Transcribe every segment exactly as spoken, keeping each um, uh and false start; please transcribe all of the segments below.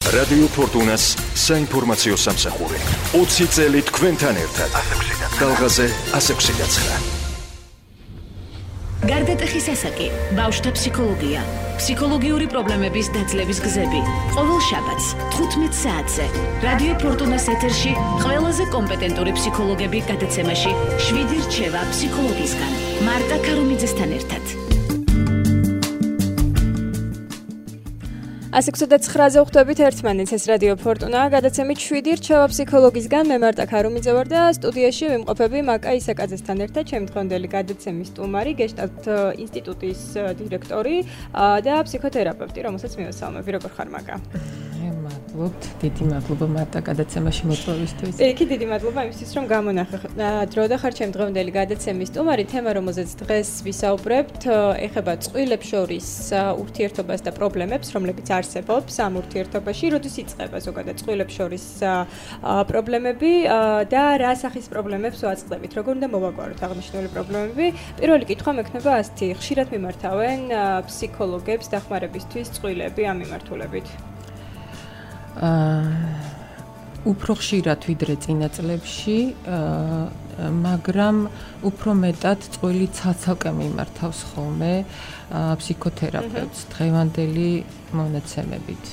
რადიო ფორტუნას საინფორმაციო სამსახური. ოცი წელი თქვენთან ერთად. გალღაზე ასე ექვსი გაცხრა. გარდატეხის ასაკი, ბავშვთა ფსიქოლოგია, ფსიქოლოგიური პრობლემების დაძლევის გზები. ყოველ შაბათს თხუთმეტ საათზე რადიო ფორტუნას ეთერში ყველაზე კომპეტენტური ფსიქოლოგები გადაცემაში შვიდი რჩევა ფსიქოლოგისგან. მარტა ქარუმიძესთან ერთად. ასი ექვსი ვხვდებით ერთმანეთს, ეს რადიო ფორტუნა, გადაცემით შვიდი რჩევა ფსიქოლოგისგან. მე მარტა ქარუმიძე ვარ და სტუდიაში ვიმყოფები მაკა ისაკაძესთან ერთად, ჩემი დღევანდელი გადაცემის სტუმარი, გეშტალტ ინსტიტუტის დირექტორი და ფსიქოთერაპევტი, რომელსაც მივესალმები. როგორ ხარ მაკა? მადლობთ, დიდი მადლობა მარტა გადაცემაში მოწვევისთვის. კი, დიდი მადლობა იმისთვის, რომ გამონახე დრო და ხარ ჩემი დღევანდელი გადაცემის სტუმარი. თემა, რომელზეც დღეს ვისაუბრებთ, ეხება წყვილებს შორის ურთიერთობას და პრობლემებს, რომლებიც არსებობს ამ ურთიერთობაში, როდის იწყება ზოგადად წყვილებს შორის პრობლემები და რა სახის პრობლემებს ვაწყდებით, როგორ უნდა მოვაგვაროთ აღნიშნული პრობლემები. პირველი კითხვა მექნება ასეთი, ხშირად მიმართავენ ფსიქოლოგებს დახმარებისთვის წყვილები ამ მიმართულებით? უფრო ხშირად ვიდრე წინა წლებში, მაგრამ უფრო მეტად წყვილი ცალ-ცალკე მიმართავს ხოლმე ფსიქოთერაპევტს დღევანდელი მონაცემებით.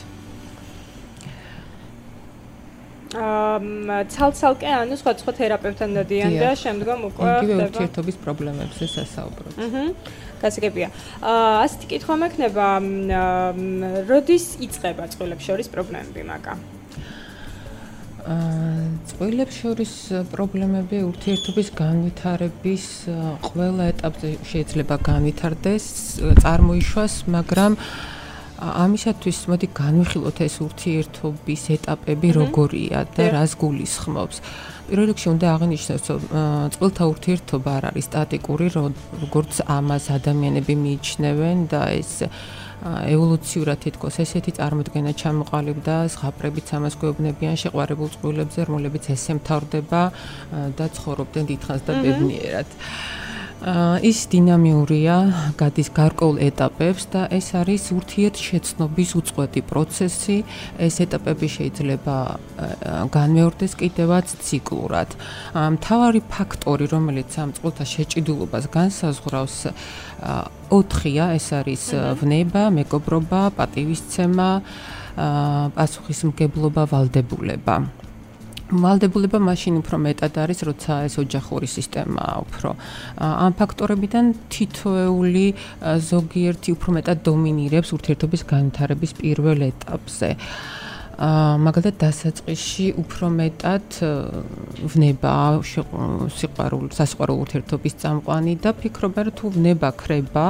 აა ცალ-ცალკე, ანუ სხვა-სხვა თერაპევტთან დადიან და შემდგომ უკვე იგივე ურთიერთობის პრობლემებზე სასაუბრობთ. აჰა. გასაგებია. აა ასეთი კითხვა მექნება, როდის იწყება წყვილებს შორის პრობლემები, მაკა? აა წყვილებს შორის პრობლემები ურთიერთობის განვითარების ყველა ეტაპზე შეიძლება განვითარდეს, წარმოიშვას, მაგრამ ამისათვის მოდი განვიხილოთ ეს ურთიერთობის ეტაპები როგორია და რას გულისხმობს. პირველ რიგში უნდა აღინიშნოს, რომ წყვილთა ურთიერთობა არ არის სტატიკური, როგორც ამას ადამიანები მიიჩნევენ და ეს ევოლუციურად თითქოს ესეთი წარმოდგენა ჩამოყალიბდა, ზღაპრებიც ამას გვეუბნებიან შეყვარებულ წყვილებზე, რომლებიც ესე მთავრდება და ცხოვრობდნენ დიდხანს და ბედნიერად. ის დინამიურია, გადის გარკვეულ ეტაპებს და ეს არის ურთიერთშეცნობის უწყვეტი პროცესი. ეს ეტაპები შეიძლება განმეორდეს კიდევაც ციკლურად. მთავარი ფაქტორი, რომელიც ამ წყვილთა შეჭიდულობას განსაზღვრავს, ოთხია, ეს არის ვნება, მეგობრობა, პატივისცემა, პასუხისმგებლობა, ვალდებულება. ვალდებულება მაშინ უფრო მეტად არის, როცა ეს ოჯახური სისტემაა უფრო. ამ ფაქტორებიდან თითოეული ზოგიერთი უფრო მეტად დომინირებს ურთიერთობის განვითარების პირველ ეტაპზე. მაგალითად დასაწყისში უფრო მეტად ვნება სიყვარული, სასიყვარულო ურთიერთობის წამყვანი და ფიქრობა, რომ თუ ვნება ქრება,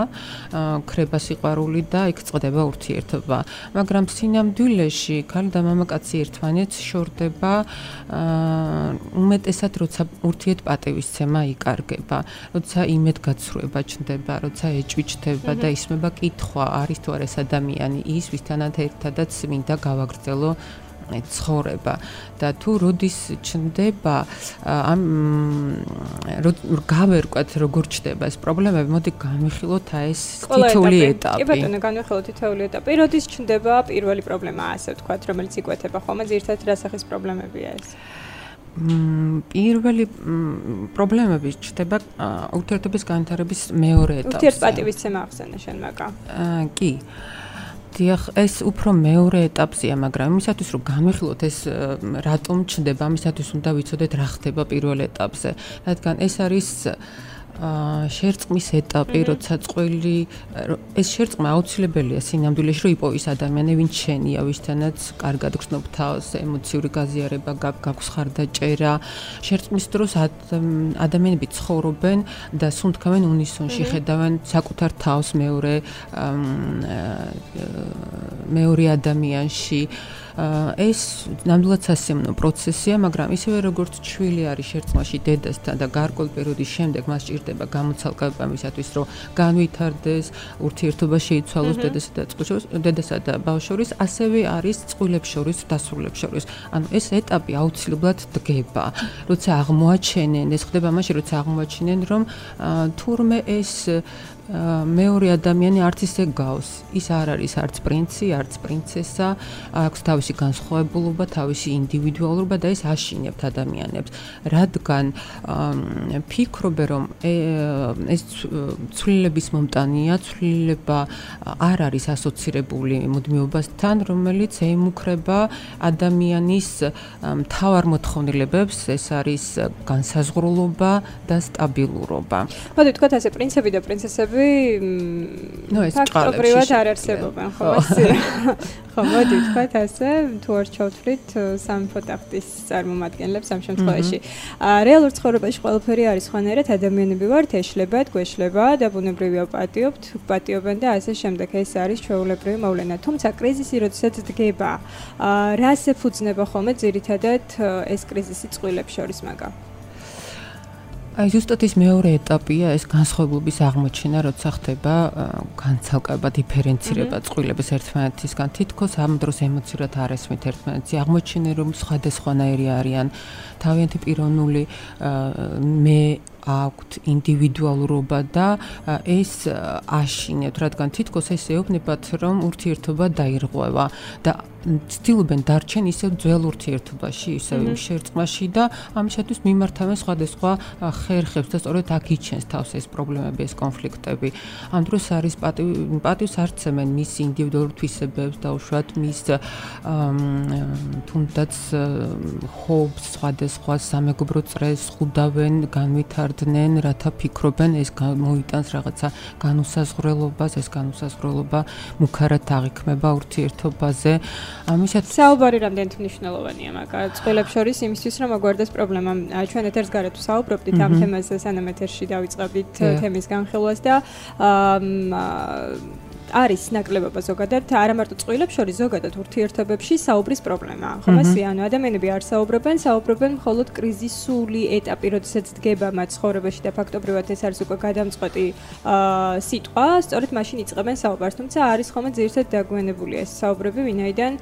ქრება სიყვარული და იქ წყდება ურთიერთობა. მაგრამ სინამდვილეში ქალი და მამაკაცი ერთმანეთს შორდება უმეტესად, როცა ურთიერთპატივისცემა იკარგება, როცა იმედგაცრუება ჩნდება, როცა ეჭვი ჩნდება და ისმება კითხვა, არის თუ არა ეს ადამიანი ის, ვისთანაც ერთადაც მინდა გავაგრძელო ცხოვრება და თუ როდის ჩნდება ამ გავერკვათ როგორ ჩნდება ეს პრობლემები, მოდი განვიხილოთ ეს თითოეული ეტაპი. კი ბატონო, განვიხილოთ თითოეული ეტაპი. როდის ჩნდება პირველი პრობლემა, ასე ვთქვათ, რომელიც იკვეთება ხოლმე, ძირითადად რა სახის პრობლემებია ეს? პირველი პრობლემები ჩნდება ურთიერთობის განვითარების მეორე ეტაპზე. ურთიერთპატივისცემა ახსენე შენ, მაკა. კი. დიახ, ეს უფრო მეორე ეტაპზეა, მაგრამ იმისათვის რომ განვიხილოთ ეს რატომ ჩნდება, ამისათვის უნდა ვიცოდეთ რა ხდება პირველ ეტაპზე. რადგან ეს არის შერწყმის ეტაპი, როცა წყვილი ეს შერწყმა აუცილებელია სინამდვილეში, რომ იპოვის ადამიანი, ვინც შენია, ვისთანაც კარგად გრძნობ თავს, ემოციური გაზიარება გაქვს ხარდაჭერა. შერწყმის დროს ადამიანები ცხოვრობენ და სუნთქავენ უნისონში, ხედავენ საკუთარ თავს მეორე მეორე ადამიანში. ეს ნამდვილად სასიამოვნო პროცესია, მაგრამ ისევე როგორც ჩვილი არის შერწყმაში დედასთან და გარკვეული პერიოდის შემდეგ მას ჭირდება გამოცალკება მისათვის, რომ განვითარდეს, ურთიერთობა შეიცვალოს დედასა და წყვილს, დედასა და ბავშვს შორის, ასევე არის წყვილებს შორის, დასრულებს შორის. ანუ ეს ეტაპი აუცილებლად დგება. როცა აღმოაჩენენ, ეს ხდება მაშინ, როცა აღმოაჩენენ, რომ თურმე ეს მეორე ადამიანი არც ისე გავს. ის არ არის არც პრინცი, არც პრინცესა, აქვს თავისი განსხვავებულობა, თავისი ინდივიდუალურობა და ეს აშინებთ ადამიანებს. რადგან ფიქრობენ, რომ ეს ცვლილების მომტანია, ცვლილება არ არის ასოცირებული მუდმივობასთან, რომელიც ემუქრება ადამიანის მთავარ მოთხოვნილებებს, ეს არის განსაზღვრულობა და სტაბილურობა. მოდი ვთქვათ ასე, პრინცები და პრინცესები ფაქტობრივად არ არსებობენ, ხო, ასე. ხო, მოდი ვთქვათ ასე, თუ არ ჩავთვლით სამეფო ტახტის წარმომადგენლებს ამ შემთხვევაში. რეალურ ცხოვრებაში ყველაფერი არის სხვანაირად, ადამიანები ვართ, ეშლებათ, გვეშლება და ბუნებრივია პატიობთ, პატიობენ და ასე შემდეგ. ეს არის ჩვეულებრივი მოვლენა. თუმცა კრიზისი როდესაც დგება, რას ეფუძნება ხოლმე ძირითადად ეს კრიზისი წყვილებს შორის მაგა? აი ზუსტად ის მეორე ეტაპია ეს განსხვავებების აღმოჩენა, როცა ხდება განცალკება, დიფერენცირება წყვილების ერთმანეთისგან. თითქოს ამ დროს ემოციურად არ ესმით ერთმანეთს. აღმოჩენა რომ სხვადასხვანაირი არიან, თავიანთი პიროვნული მე აქვთ ინდივიდუალურობა და ეს აშინებთ, რადგან თითქოს ეს ეუბნებათ, რომ ურთიერთობა დაირღვევა და ცდილობენ დარჩენ ისევ ძველ ურთიერთობაში, ისევ იმ შერწყმაში და ამისათვის მიმართავენ სხვადასხვა ხერხებს და სწორედ აქ იჩენს თავს ეს პრობლემები, ეს კონფლიქტები. ამ დროს არის პატივს არცემენ მის ინდივიდუალურ თვისებებს და უშუალოდ მის თუნდაც ჰობს სხვადასხვა სამეგობრო წრეს ხვდავენ, განვითარდნენ, რათა ფიქრობენ ეს მოიტანს რაღაცა განუსაზღვრელობას, ეს განუსაზღვრელობა მუქარად აღიქმება ურთიერთობაზე. ამისათვის საუბარი რამდენად მნიშვნელოვანია მაგა წყვილებს შორის იმისთვის რომ აგვარდეს პრობლემა. ჩვენ ეთერს გარეთ ვსაუბრობდით ამ თემაზე, სანამ ეთერში დავიწყებდით თემის განხილვას და არის ნაკლებობა ზოგადად, არა მარტო წყვილებს შორის, ზოგადად ურთიერთობებში საუბრის პრობლემა. ხომ ასე, ანუ ადამიანები არ საუბრობენ, საუბრობენ მხოლოდ კრიზისული ეტაპი, როდესაც დგება მათ ცხოვრებაში და ფაქტობრივად ეს არის უკვე გადამწყვეტი სიტყვა, სწორედ მაშინ იწყებენ საუბარს. თუმცა არის ხოლმე ძირითადად დაგვიანებული ეს საუბრები, ვინაიდან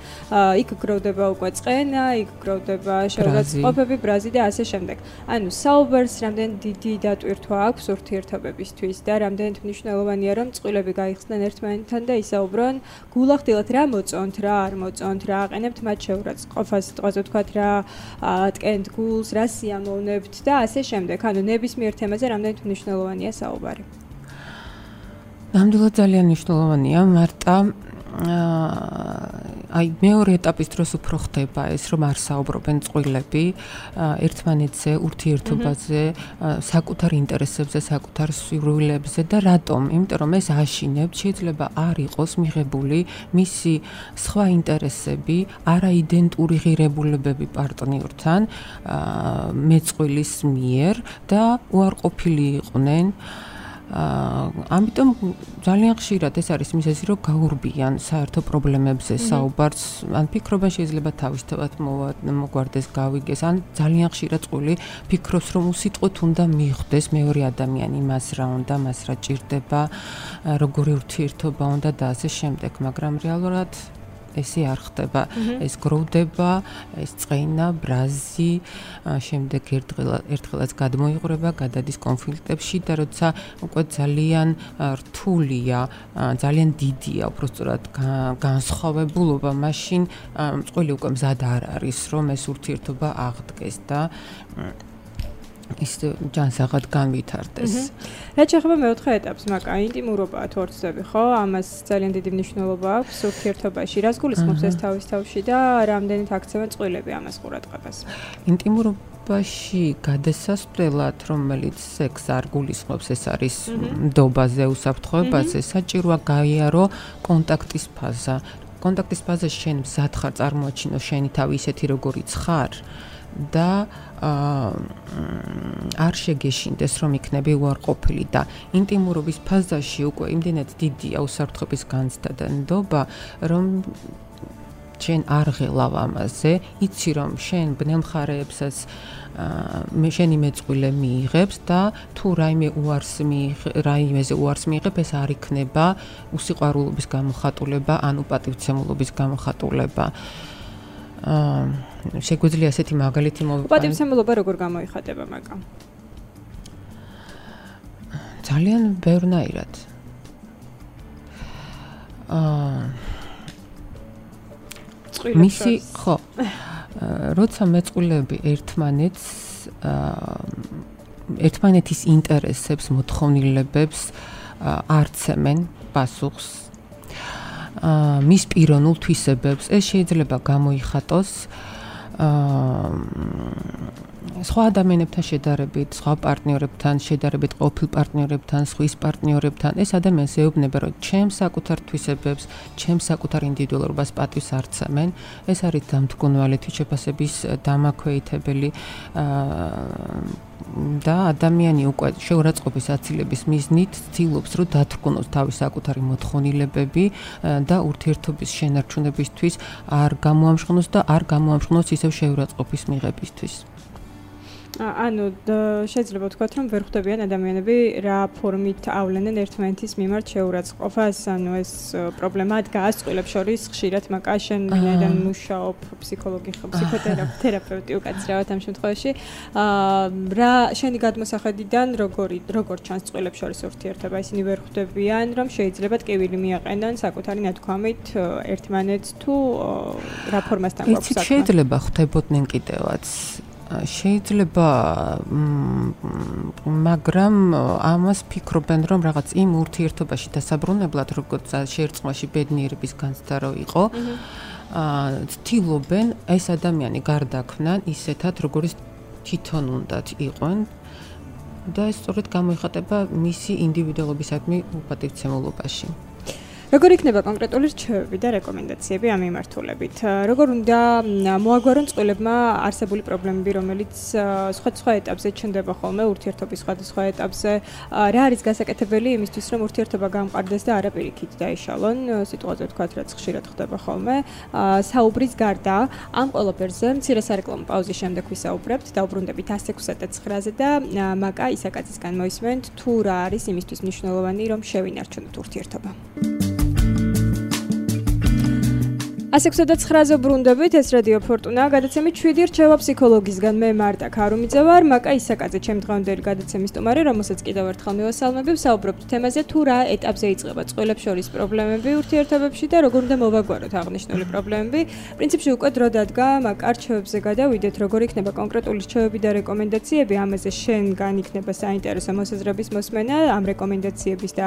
იქ გროვდება უკვე წყენა, იქ გროვდება შეურაცხყოფები, ბრაზი და ასე შემდეგ. ანუ საუბარს რამდენ დიდი დატვირთვა აქვს ურთიერთობებისთვის და რამდენად მნიშვნელოვანია რომ წყვილები გაიხსნენ ერთმანეთს თან და ისაუბრონ გულახდილად რა მოწონთ, რა არ მოწონთ, რა აყენებთ მათ შეურაცხყოფას, სიტყვაზე ვთქვათ რა ატკენთ გულს, რა სიამოვნებთ და ასე შემდეგ. ანუ ნებისმიერ თემაზე რამდენად მნიშვნელოვანია საუბარი. ნამდვილად ძალიან მნიშვნელოვანია, მარტა აი მეორე ეტაპის დროს უფრო ხდება ეს რომ არ საუბრობენ წყვილები ერთმანეთზე, ურთიერთობაზე, საკუთარ ინტერესებზე, საკუთარ სურვილებზე და რატომ? იმიტომ რომ ეს აშინებთ, შეიძლება არ იყოს მიღებული მისი სხვა ინტერესები, არაიდენტური ღირებულებები პარტნიორთან მეწყვილის მიერ და უარყოფილი იყვნენ. ამიტომ ძალიან ხშირად ეს არის მიზეზი, რომ გაურბიან საერთო პრობლემებზე საუბარს, ან ფიქრობენ შეიძლება თავისთავად მოგვარდეს, გავიგეს, ან ძალიან ხშირად წყვილი ფიქრობს, რომ უსიტყვოდ უნდა მიხვდეს მეორე ადამიანი მას რა უნდა, მას რა ჭირდება, როგორი ურთიერთობა უნდა და ასე შემდეგ, მაგრამ რეალურად ესე არ ხდება. ეს გროვდება, ეს წყენა, ბრაზი, შემდეგ ერთხელაც გადმოიღრება, გადადის კონფლიქტებში და როცა უკვე ძალიან რთულია, ძალიან დიდია, უბრალოდ განსხვავებულობა, მაშინ წყვილი უკვე მზად არ არის, რომ ეს ურთიერთობა აღდგეს და ის ჯანსაღად განვითარდეს. რაც შეეხება მეოთხე ეტაპს, მაგა ინტიმურობაა თუ არ ვცდები, ხო? ამას ძალიან დიდი მნიშვნელობა აქვს ურთიერთობაში. რას გულისხმობს ეს თავის თავში და რამდენით აქცევენ წყვილები ამას ყურადღებას? ინტიმურობაში გადასასვლელად, რომელიც სექს არ გულისხმობს, ეს არის ნდობაზე, უსაფრთხოებაზე, საჭიროა გაიარო კონტაქტის ფაზა. კონტაქტის ფაზაში შენ მზად ხარ წარმოაჩინო შენი თავი ისეთი როგორიც ხარ და არ შეგეშინდეს რომ იქნები უარყოფილი და ინტიმურობის ფაზაში უკვე იმდენად დიდია უსაფრთხოების განცდა და ნდობა რომ შენ არ ღელავ ამაზე, იცი რომ შენ ბნელმხარეებსაც მე შენი მეწყვილე მიიღებს და თუ რაიმე უარს რაიმეზე უარს მიიღებ, ეს არ იქნება უსიყვარულობის გამოხატულება, ანუ პატივცემულობის გამოხატულება. აა შეგვიძლია ასეთი მაგალითი მოვიყვანოთ. პატივცემულობა როგორ გამოიხატება მაგა? ძალიან ბევრნაირად. აა მისი ხო როცა მეწყვილეები ერთმანეთს ერთმანეთის ინტერესებს, მოთხოვნილებებს არცემენ პასუხს მის პიროვნულ თვისებებს, ეს შეიძლება გამოიხატოს სხვა ადამიანებთან შედარებით, სხვა პარტნიორებთან შედარებით, ყოფილ პარტნიორებთან, სხვის პარტნიორებთან, ეს ადამიანს ეუბნება, რომ ჩემს საკუთარ თვისებებს, ჩემს საკუთარ ინდივიდუალურობას პატივს არცემენ. ეს არის დამთგუნვალი თვითშეფასების დამაქვეითებელი და ადამიანი უკვე შეურაცხყოფის აცილების მიზნით ცდილობს, რომ დათრგუნოს თავის საკუთარი მოთხოვნილებები და ურთიერთობის შენარჩუნებისთვის არ გამოამშღნოს და არ გამოამშღნოს ისევ შეურაცხყოფის მიღებისთვის. ანუ შეიძლება ვთქვათ, რომ ვერ ხვდებიან ადამიანები რა ფორმით ავლენენ ერთმანეთის მიმართ შეურაცხყოფას, ანუ ეს პრობლემა დგას წყვილებს შორის ხშირად, მაკა შენ ვინაიდან მუშაობ ფსიქოლოგი ხო, ფსიქოთერაპევტი უკაცრავად ამ შემთხვევაში, რა შენი გადმოსახედიდან როგორი როგორ ჩანს წყვილებს შორის ურთიერთობა, ისინი ვერ ხვდებიან, რომ შეიძლება ტკივილი მიაყენონ საკუთარი ნათქვამით ერთმანეთს თუ რა ფორმასთან გვაქვს საქმე? შეიძლება ხვდებოდნენ კიდევაც შეიძლება მაგრამ ამას ფიქრობენ რომ რაღაც იმ ურთიერთობაში დასაბრუნებლად როგორც შერწყმაში ბედნიერების განცდა რო იყო ცდილობენ ეს ადამიანი გარდაქმნან ისეთად როგორც თვითონ უნდათ იყვნენ და ეს სწორედ გამოიხატება მისი ინდივიდუალობისადმი უპატივცემულობაში. როგორ იქნება კონკრეტული რჩევები და რეკომენდაციები ამ მიმართულებით? როგორ უნდა მოაგვარონ წყვილებმა არსებული პრობლემები, რომელიც სხვადასხვა ეტაპზე ჩნდება ხოლმე ურთიერთობის სხვადასხვა ეტაპზე? რა არის გასაკეთებელი იმისთვის, რომ ურთიერთობა გამყარდეს და არა პირიქით დაიშალონ? სიტყვაზე ვთქვათ, რაც ხშირად ხდება ხოლმე. საუბრის გარდა ამ ყველაფერზე მცირე სარეკლამო პაუზის შემდეგ ვისაუბრებთ, დაუბრუნდებით ათს ექვსი ცხრაზე და მაკა ისაკაძისგან მოისმენთ თუ რა არის იმისთვის მნიშვნელოვანი, რომ შევინარჩუნოთ ურთიერთობა. ათს ექვსი ცხრაზე ბრუნდებით, ეს რადიო ფორტუნა, გადაცემით შვიდი რჩევა ფსიქოლოგისგან. მე მარტა ქარუმიძე ვარ, მაკა ისაკაძე ჩემი დღევანდელი გადაცემის სტუმარი, რომელსაც კიდევ ერთხელ მივასალმები, ვსაუბრობთ თემაზე თუ რა ეტაპზე იწყება წყვილებს შორის პრობლემები ურთიერთობებში და როგორ უნდა მოვაგვაროთ აღნიშნული პრობლემები. პრინციპში უკვე დრო დადგა, მაკა რჩევებზე გადავიდეთ, როგორ იქნება კონკრეტული რჩევები და რეკომენდაციები, ამაზე შენგან იქნება საინტერესო მოსაზრების მოსმენა, ამ რეკომენდაციების და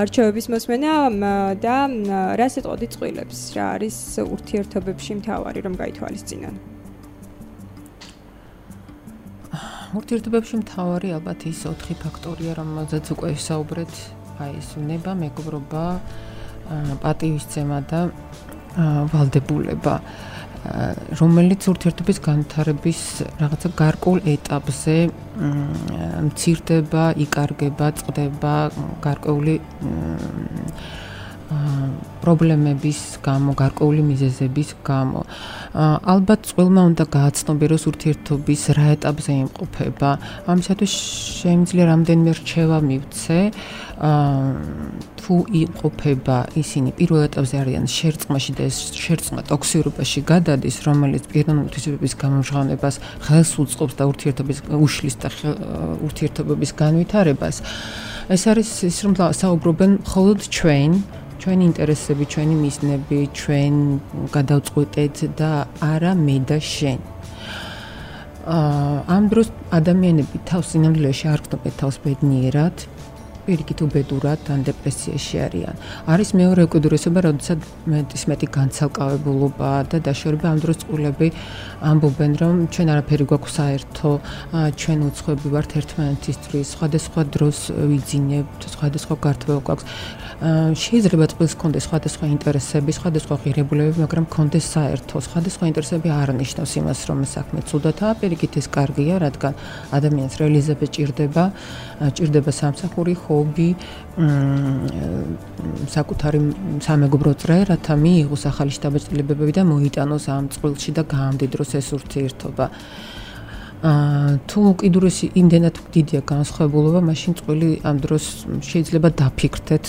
რჩევების მოსმენა და რას ეტყოდი წყვილებს, რა არის ურთიერთობებში მთავარი რომ გაითვალისწინონ? ურთიერთობებში მთავარი ალბათ ის ოთხი ფაქტორია, რომელზეც უკვე ვისაუბრეთ, აი ეს უნება, მეგობრობა, პატივისცემა და ვალდებულება, რომელიც ურთიერთობის განვითარების რაღაცა გარკვეულ ეტაპზე მცირდება, იკარგება, წყდება გარკვეული პრობლემების გამო, გარკვეული მიზეზების გამო. ალბათ წყვილმა უნდა გააცნობიეროს ურთიერთობის რა ეტაპზე იმყოფება. ამისათვის შემიძლია რამდენიმე რჩევა მივცე, თუ იმყოფება ისინი პირველ ეტაპზე არიან შერწყმაში და ეს შერწყმა ტოქსიურობაში გადადის, რომელიც პიროვნული თვისებების გამომჟღავნებას ხელს უწყობს და ურთიერთობის უშლის და ურთიერთობების განვითარებას. ეს არის ის რომ საუბრობენ მხოლოდ ჩვენ ჩვენი ინტერესები, ჩვენი მიზნები, ჩვენ გადავწყვეტეთ და არა მე და შენ. ამ დროს ადამიანები თავს სინამდვილეში არ გრძნობენ თავს ბედნიერად, პირიქით უბედურად ან დეპრესიაში არიან. არის მეორე უკიდურესობა, როდესაც მეტის მეტი განცალკავებულობა და დაშორება. ამ დროს წყვილები ამბობენ, რომ ჩვენ არაფერი გვაქვს საერთო, ჩვენ უცხოები ვართ ერთმანეთისთვის, სხვადასხვა დროს ვიძინებთ, სხვადასხვა გართვება გვაქვს. შეიძლება წყვილს ჰქონდეს სხვადასხვა ინტერესები, სხვადასხვა ღირებულებები, მაგრამ ჰქონდეს საერთო. სხვადასხვა ინტერესები არ ნიშნავს იმას, რომ საქმე ცუდათაა, პირიქით ეს კარგია, რადგან ადამიანს რეალიზება ჭირდება, ჭირდება სამსახური, ჰობი, საკუთარი სამეგობრო წრე, რათა მიიღოს ახალი შთაბეჭდილებები და მოიტანოს ამ წყვილში და გაამდიდროს ეს ურთიერთობა. თუ უკიდურესი იმდენად დიდია განსხვავებულობა, მაშინ წყვილი ამ დროს შეიძლება დაფიქრდეთ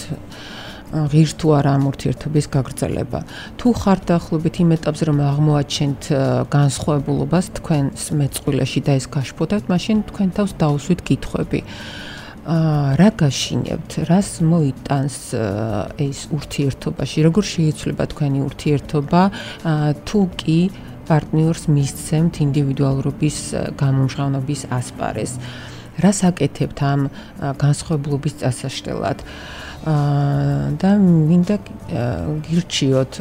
ღირს თუ არა ამ ურთიერთობის გაგრძელება. თუ ხართ დაახლოებით იმ ეტაპზე, რომ აღმოაჩენთ განსხვავებულობას თქვენს მეწყვილეში და ეს გაშფოთებთ, მაშინ თქვენ თავს დაუსვით კითხვები. რა გაშინებთ, რას მოიტანს ეს ურთიერთობაში, როგორ შეიცვლება თქვენი ურთიერთობა, თუ კი პარტნიორს მისცემთ ინდივიდუალურობის გამომჟღავნების ასპარეზს. რას აკეთებთ ამ განსხვავებლობის წასაშლელად? და მინდა გირჩიოთ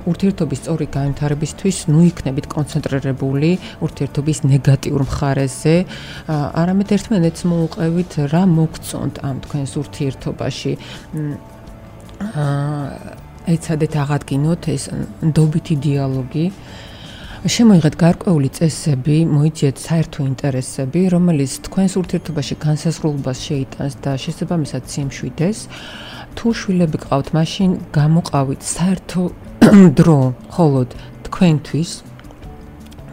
ურთიერთობის სწორი განვითარებისთვის ნუ იქნებით კონცენტრირებული ურთიერთობის ნეგატიურ მხარეზე, არამედ ერთმანეთს მოუყევით რა მოგწონთ ამ თქვენს ურთიერთობაში. ეცადეთ აღადგინოთ ეს ნდობითი დიალოგი, შემოიღეთ გარკვეული წესები, მოიძიეთ საერთო ინტერესები, რომელიც თქვენს ურთიერთობაში განსაზღვრულობას შეიტანს და შესაბამისად სიმშვიდეს. თუ შვილები გყავთ, მაშინ გამოყავით საერთო დრო მხოლოდ თქვენთვის,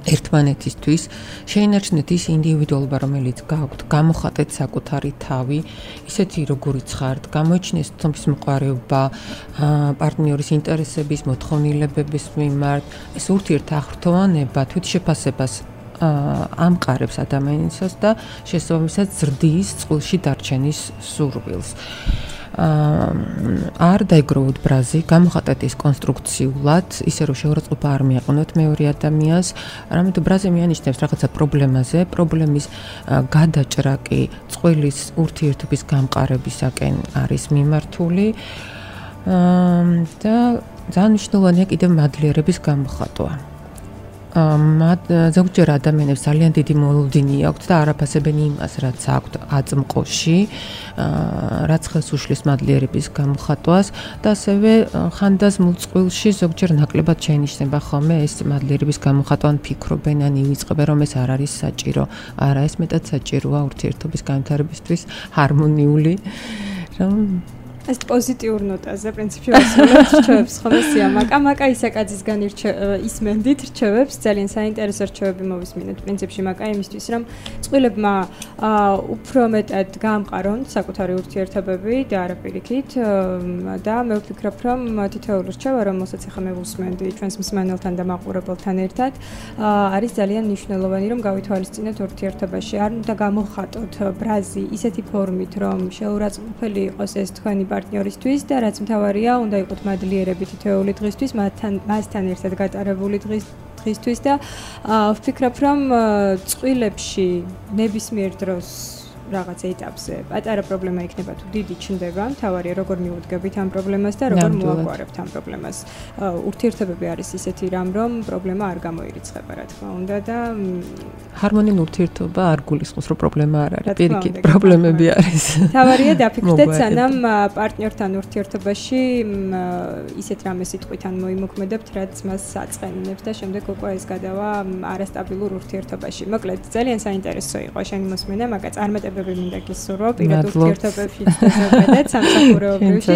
ერთმანეთისთვის, შეინარჩუნეთ ის ინდივიდუალობა, რომელიც გაქვთ, გამოხატეთ საკუთარი თავი, ისეთი როგორიც ხართ, გამოიჩინეთ თვითმოყვარეობა, პარტნიორის ინტერესების, მოთხოვნილებების მიმართ, ეს ურთიერთახრთოვანება თვითშეფასებას ამყარებს ადამიანისას და შესაბამისად ზრდის წყვილში დარჩენის სურვილს. არ დაიგროვოთ ბრაზი, გამოხატეთ ის კონსტრუქციულად, ისე რომ შეურაცხყოფა არ მიაყენოთ მეორე ადამიანს, რამეთო ბრაზი მიანიშნებს რაღაცა პრობლემაზე, პრობლემის გადაჭრა კი წყვილის ურთიერთობის გამყარებისაკენ არის მიმართული და ძალიან მნიშვნელოვანია კიდევ მადლიერების გამოხატვა. ზოგჯერ ადამიანებს ძალიან დიდი მოლოდინი აქვთ და არაფასებენ იმას, რაც აქვთ აწმყოში, რაც ხელს უშლის მადლიერების გამოხატვას და ასევე ხანდაზმულ წყვილში ზოგჯერ ნაკლებად შეინიშნება ხოლმე ეს მადლიერების გამოხატვა, ან ფიქრობენ, ან ივიწყებენ, რომ ეს არ არის საჭირო. არა, ეს მეტად საჭიროა ურთიერთობის განვითარებისთვის ჰარმონიული, რომ ეს პოზიტიურ ნოტაზე პრინციპში ვასრულებთ რჩევებს ხოლმე სიამაკა მაკა ისაკაძისგან ისმენდით რჩევებს ძალიან საინტერესო რჩევები მოვისმინეთ პრინციპში მაკა იმისთვის რომ წყვილებმა უფრო მეტად გაამყარონ საკუთარი ურთიერთობები და არა პირიქით და მე ვფიქრობ რომ თითოეული რჩევა რომელსაც ახლა მე ვუსმენდი ჩვენს მსმენელთან და მაყურებელთან ერთად არის ძალიან მნიშვნელოვანი რომ გავითვალისწინოთ ურთიერთობაში არ უნდა გამოხატოთ ბრაზი ისეთი ფორმით რომ შეურაცხყოფელი იყოს ეს თქვენი პარტნიორისთვის და რაც მთავარია, უნდა იყოთ მადლიერები თითოეული დღისთვის, მასთან მასთან ერთად გატარებული დღისთვის და ვფიქრობ, რომ წყვილებში ნებისმიერ დროს რაღაც ეტაპზე პატარა პრობლემა იქნება თუ დიდი ჩნდება, მთავარია როგორ მიუდგებით ამ პრობლემას და როგორ მოაგვარებთ ამ პრობლემას. ურთიერთობები არის ისეთი რამ, რომ პრობლემა არ გამოირიცხება, რა თქმა უნდა და ჰარმონიული ურთიერთობა არ გულისხმობს, რომ პრობლემა არ არის, პირიქით, პრობლემები არის. მთავარია დაფიქრდეთ, სანამ პარტნიორთან ურთიერთობაში ისეთ რამე სიტყვით ან მოიმოქმედებთ, რაც მას აწყენებს და შემდეგ უკვე ეს გადავა არასტაბილურ ურთიერთობაში. მოკლედ, ძალიან საინტერესო იყო შენი მოსმენა, მაგა წარმატებები მინდა გისურვო პირად ურთიერთობებში და სამსახურეობრივში.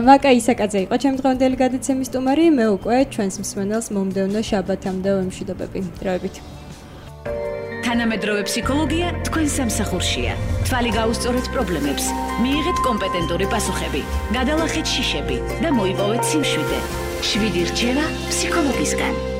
მაკა ისაკაძე იყო ჩემი დღევანდელი გადაცემის სტუმარი, მე უკვე ჩვენს მსმენელს მომდევნო შაბათამდე ვემშვიდობები. დროებით. თანამედროვე ფსიქოლოგია თქვენ სამსახურშია. თვალი გაუსწორეთ პრობლემებს, მიიღეთ კომპეტენტური პასუხები, გადალახეთ შიშები და მოიპოვეთ სიმშვიდე. შვიდი რჩევა ფსიქოლოგისგან.